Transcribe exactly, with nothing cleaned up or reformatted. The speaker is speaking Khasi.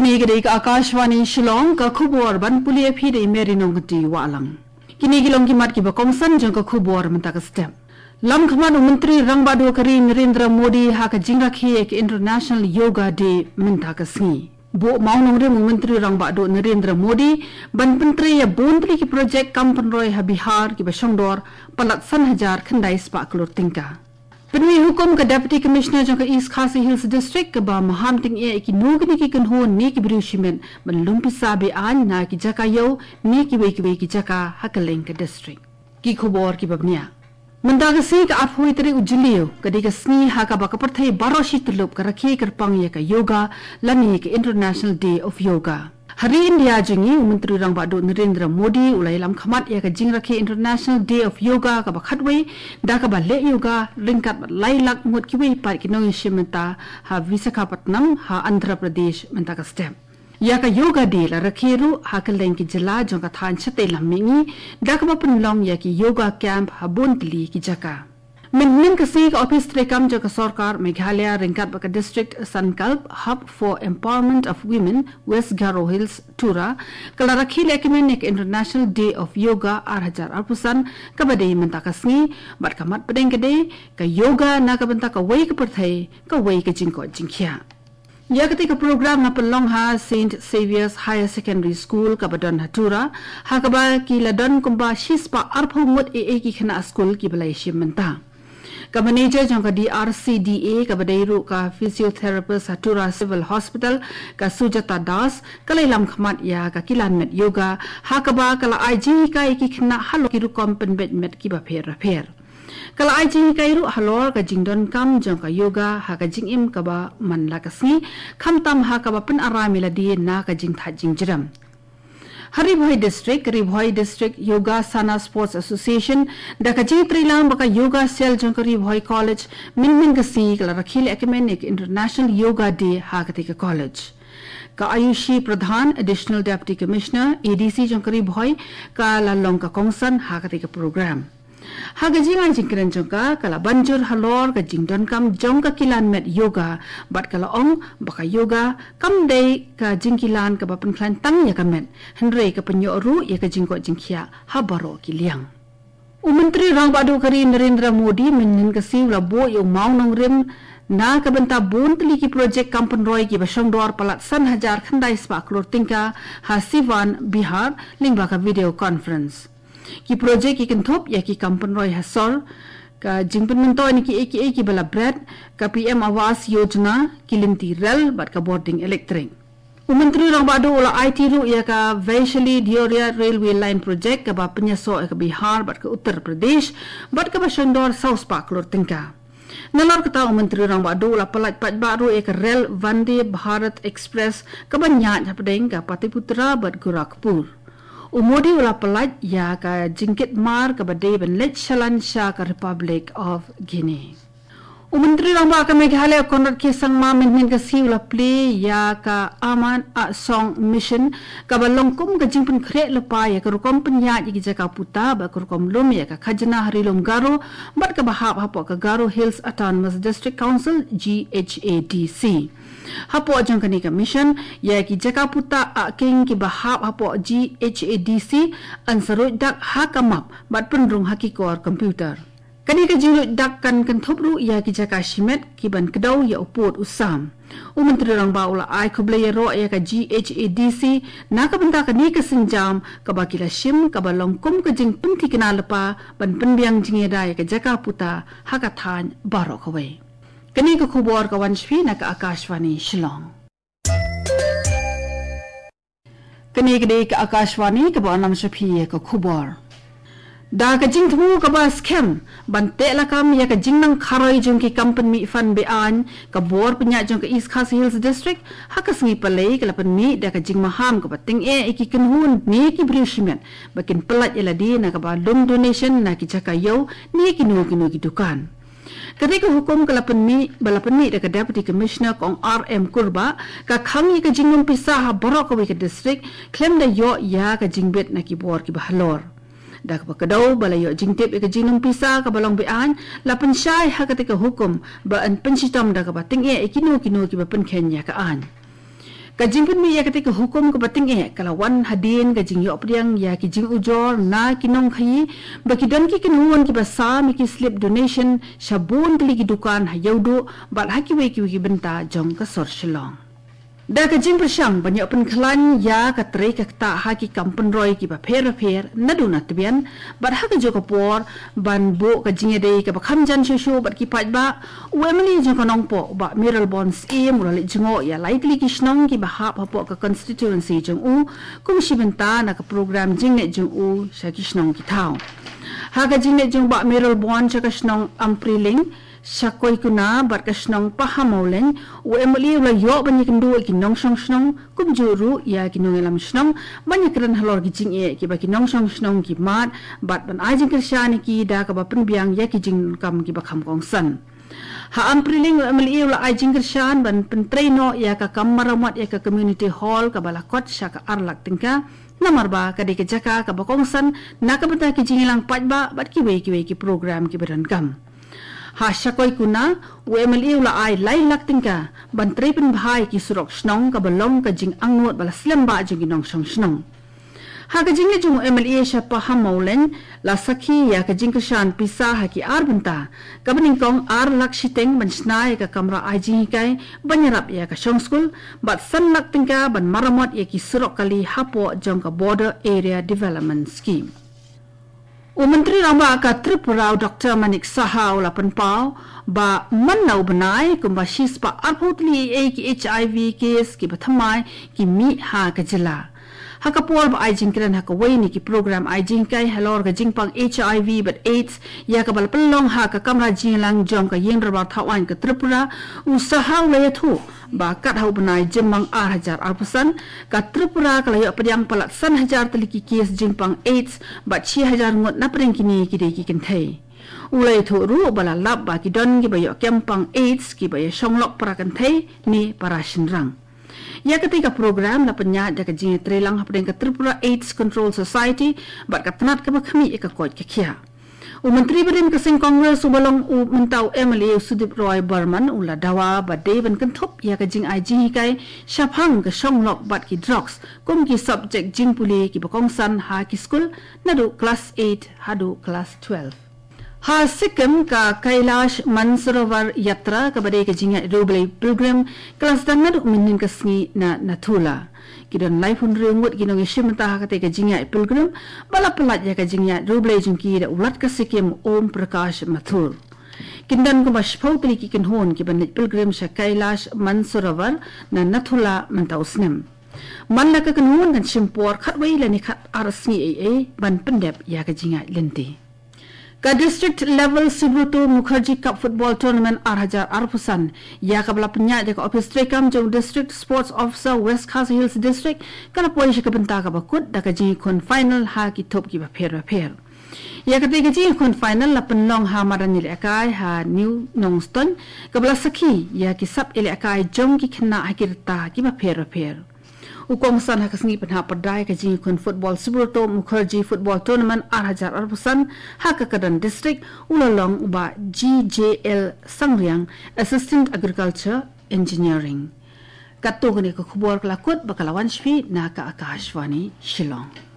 Kane ka dei ka Akashvani Shillong, ka khubor ban pule ïa phi da i Mary Nongkynrih Wahlang. Kine ki long ki mat kiba kongsan jong ka khubor mynta ka step. Lam khmat u Myntri Rangbah Duh ka ri Narendra Modi ha ka jingrakhe ïa ka International Yoga Day mynta ka sngi. Buh mawnongrim u Myntri Rangbah Duh Narendra Modi ban pyntrei ïa bun tylli ki projek kam pynroi ha Bihar kiba shongdor palat san hajar khyndai spah klur tyngka. Pynmih hukum ka Deputy Commissioner jong ka East Khasi Hills District kaba maham tyngeh ïa kino kino ki kynhun ne ki briew shimet ban lum pisa be-aiñ na ki jaka ïew ne kiwei kiwei ki jaka ha kylleng ka district. Ki khubor kiba bniah. Mynta ka sngi ka arphew tarik u Jylliew, ka dei ka sngi ha kaba ka pyrthei baroh shi tyllup ka rakhe kyrpang ïa ka yoga lane ka International Day of Yoga. Ha ri India jong ngi, u Myntri Rangbah Duh Narendra Modi u la ïalam khmat ïa ka jingrakhe International Day of Yoga kaba khatwei da kaba leh yoga ryngkat bad lai lak ngut kiwei pat ki nongïashim bynta ha Visakhapatnam ha Andhra Pradesh mynta ka step. Ïa ka Yoga Day la rakhe ruh ha kylleng ki jylla jong ka thaiñ shatei lam mihngi da kaba pynlong ïa ki yoga camp ha bun tylli ki jaka. Mynhynnin ka sngi ka ophis treikam jong ka sorkar Meghalaya ryngkat bad ka district Sankalp Hub for Empowerment of Women West Garo Hills, Tura, ka la rakhe lehkmen ïa ka International Day of Yoga ar hajar arphew san kaba dei mynta ka sngi, bad ka mat pdeng ka dei ka yoga na ka bynta kawei ka pyrthei, kawei ka jingkoit jingkhiah. Ïa katei ka program la pynlong ha Saint Xavier's Higher Secondary School kaba don ha Tura, ha kaba ki la don kumba shispah arphew ngut eiei ki khynnah skul kiba la ïashim bynta. Ka manager jong ka D R C D A kaba dei ruh ka physiotherapist ha Tura Civil Hospital, ka Sujata Das, ka la ïalam khmat ïa ka kilan met yoga, ha kaba ka la ai jinghikai ïa ki khynnah halor ki rukom pynbeit met kiba pher bapher. Ka la ai jinghikai ruh halor ka jingdonkam jong ka yoga ha ka jingim kaba man la ka sngi, khamtam ha kaba pynaram ïa lade na ka jingthait jingjrem. Ha Ri Bhoi District, Ri Bhoi District Yogasana Sports Association, da ka jingtreilang bad ka Yoga Cell jong ka Ri Bhoi College, mynhynnin ka sngi ka la rakhe lehkmen ïa ka International Yoga Day ha katei ka college. Ka Ayushi Pradhan, Additional Deputy Commissioner, A D C jong ka Ri Bhoi, ka la long ka kongsan ha katei ka program. Ha ka jingai jingkren jong ka, ka la ban jur halor ka jingdonkam jong ka kilan met yoga, bad ka la ong ba ka yoga kam dei ka jingkilan kaba pynkhlaiñ tang ïa ka met, hynrei ka pynïoh ruh ïa ka jingkoit jingkhiah ha baroh ki liang. U Myntri Rangbah Duh ka ri Narendra Modi mynhynnin ka sngi u la buh ïa u mawnongrim na ka bynta bun tylli ki projek kam pynroi kiba shongdor palat san hajar khyndai spah klur tyngka ha Siwan, Bihar, lyngba ka video conference. Ki projek ki kynthup ïa ki kam pynroi ha sor, ka jingpynmyntoi na kiei kiei kiba la bret, ka P M Awas Yojana, ki lynti rel bad ka bording elektrik. U Myntri Rangbah Duh u la aiti ruh ïa ka Vaishali Deoria Railway Line Project kaba pynïasoh ïa ka Bihar bad ka Uttar Pradesh, bad kaba shongdor saw spah klur tyngka. Nalor kata u Myntri Rangbah Duh u la pyllait paidbah ruh ïa ka rel Vande Bharat Express kaba ñiah hapdeng ka Pataliputra bad Gorakhpur. U Modi u la pyllait ïa ka jingkit mar kaba dei ban leit shalan sha ka Republic of Guinea. U Myntri Rangbah ka Meghalaya Conrad K Sangma mynhynnin ka sngi u la plie ïa ka Aman Asong Mission, kaba long kum ka jingpynkhreh lypa ïa ka rukom pynïaid ïa ki jaka puta bad ka rukom lum ïa ka khajna ha Ri Lum Garo, bad kaba hap hapoh ka Garo Hills Autonomous District Council, G H A D C. Hapoh jong kane ka mission, ïa ki jaka puta ahking kiba hap hapoh G H A D C yn sa ruid dak ha ka map bad pynrung ha ki kor computer. Kane ka jingruid dak kan kynthup ruh ïa ki jaka shimet kiban kdew ïa u pud u sam. U Myntri Rangbah u la ai khublei ïaroh ïa ka G H A D C na ka bynta kane ka sienjam kaba ki la shim, kaba long kum ka jingpynthikna lypa ban pynbiang jingïada ïa ka jaka puta ha ka thaiñ baroh kawei. Kane ka khubor ka wan sha phi na ka Akashvani Shillong. Kane ka dei ka Akashvani kaba wanlam sha phi ïa ka khubor. Da ka jingthmu kaba skhem ban teh lakam ïa ka jingnang kharoi jong ki kam pynmih fund be-aiñ, ka bor pynïaid jong ka East Khasi Hills District ha ka sngi Palei ka la pynmih da ka jingmaham kaba tyngeh ïa ki kynhun ne ki briew shimet ba kin pyllait ïa lade na kaba lum donation na ki jaka ïew ne kino kino ki dukan. Kane ka hukum ka la pynmih, ba la pynmih da ka Deputy Commissioner Kong R M Kurbah, ka khang ïa ka jinglum pisa ha baroh kawei ka district, khlem da ïoh ïa ka jingbit na ki bor kiba halor. Da kaba kdew ba la ïoh jingtip ïa ka jinglum pisa kaba long be-aiñ, la pynshai ha kata ka hukum ba yn pynshitom da kaba tyngeh ïa kino kino kiba pynkheiñ ïa ka aiñ. Ka jingpynmih ïa katei ka hukum kaba tyngeh ka la wan hadien ka jingïoh pdiang ïa ki jingujor na ki nongkhaïi ba ki don ki kynhun kiba sam ïa ki slip donation sha bun tylli ki dukan ha Ïewduh bad ha kiwei kiwei ki bynta jong ka sor Shillong. Da ka jingpyrshang ban ïoh pynkhlaiñ ïa ka trei ka ktah ha ki kam pynroi kiba pher ba pher naduh na tbian bad ha kajuh ka por ban buh ka jingïadei kaba kham jan shuh shuh bad ki paidbah, u MLA jong ka Nongpoh, Bah Mayralborn Syiem, u la leit jngoh ïa lai tylli ki shnong kiba hap hapoh ka constituency jong u kum shi bynta na ka program jingleit jong u sha ki shnong ki thaw. Ha ka jingleit jong Bah Mayralborn sha ka shnong Ampriling, Shakoikuna bad ka shnong Pahammawlein, u MLA u la ïoh ban ïakynduh ïa ki nongshong shnong, kumjuh ruh ïa ki nongïalam shnong ban ïakren halor ki jingeh kiba ki nongshong shnong ki mad bad ban ai jingkyrshan ïa ki da kaba pynbiang ïa ki jingdonkam kiba kham kongsan. Ha Ampriling, u MLA u la ai jingkyrshan ban pyntrei noh ïa ka kam maramot ïa ka community hall kaba la kot sha ka ar lak tyngka, namar ba ka dei ka jaka kaba kongsan na ka bynta ki jingïalang paidbah bad kiwei kiwei ki program kiba donkam. Ha Shakoikuna, u MLA u la ai lai lak tyngka ban trei pynbha ïa ki surok shnong kaba long ka jingangnud ba la slem bha jong ki nongshong shnong. Ha ka jingleit jong u MLA sha Pahammawlein, la sakhi ïa ka jingkyrshan pisa ha ki ar bynta, kaba nyngkong ar lak shiteng ban shna ïa ka kamra ai jinghikai ban ïarap ïa ka shong skul, bad san lak tyngka ban maramot ïa ki surok kali hapoh jong ka Border Area Development Scheme. U Myntri Rangbah ka Tripura, u Doctor Manik Saha, u la pynpaw ba man la u bnai kumba shispah arphew tylli ki HIV case kiba thymmai ki mih ha ka jylla. Ha ka por ba ai jingkren ha kawei na ki program ai jinghikai halor ka jingpang HIV bad AIDS ïa kaba la pynlong ha ka kamra jingïalang jong ka Ïing Dorbar Thaw Aiñ ka Tripura, u Saha u la ïathuh ba kat ha u bnai Jymmang ar hajar arphew san, ka Tripura ka la ïoh pdiang palat san hajar tylli ki case jingpang AIDS bad shi hajar ngut na pdeng kine ki dei ki kynthei. U la ïathuh ruh ba la lap ba ki don kiba ïoh kem pang AIDS kiba ïashong lok para kynthei ne para shynrang. Ïa katei ka program la pynïaid da ka jingïatreilang hapdeng ka Tripura AIDS Control Society bad ka tnat kaba khmih ïa ka koit ka khiah. U Myntri barim ka seng Congress uba long u mynta u MLA, u Sudip Roy Barman, u la dawa ba dei ban kynthup ïa ka jingai jinghikai shaphang ka shong lok bad ki drugs kum ki subject jingpule kiba kongsan ha ki skul naduh klas eight haduh klas twelve. Ha Sikkim, ka Kailash Mansarovar Yatra kaba dei ka jingïaid riewblei pilgrim ka la sdang naduh mynhynnin ka sngi na Nathula. Ki don laiphew hynriew ngut ki nongïashim bynta ha katei ka jingïaid pilgrim ba la pyllait ïa ka jingïaid riewblei jong ki da u Lat ka Sikkim Om Prakash Mathur. Kin don kumba shiphew tylli ki kynhun kiban leit pilgrim sha Kailash Mansarovar na Nathula mynta u snem. Man la ka kynhun kan shim por khatwei lane khatar sngi ei ei ban pyndep ïa ka jingïaid lynti. Ka District Level Subroto Mukherjee Cup Football Tournament ar hajar arphew san, ïa kaba la pynïaid da ka Office treikam jong District Sports Officer, West Khasi Hills District, ka la poi sha ka bynta kaba kut da ka jingïakhun final ha ki thup kiba pher ba pher. Ïa katei ka jingïakhun final la pynlong ha madan ïalehkai ha New Nongstoiñ, kaba la sakhi ïa ki sap ïalehkai jong ki khynnah ha ki rta kiba pher ba pher. U kongsan ha ka sngi pynhap pyrda ïa ka jingïakhun football Subroto Mukherjee Football Tournament ar hajar arphew san ha ka Kyrdan District u la long u Bah G J L Sangriang, Assistant Agriculture Engineering. Katto katne ka khubor ka la kut bad ka la wan sha phi na ka Akashvani Shillong.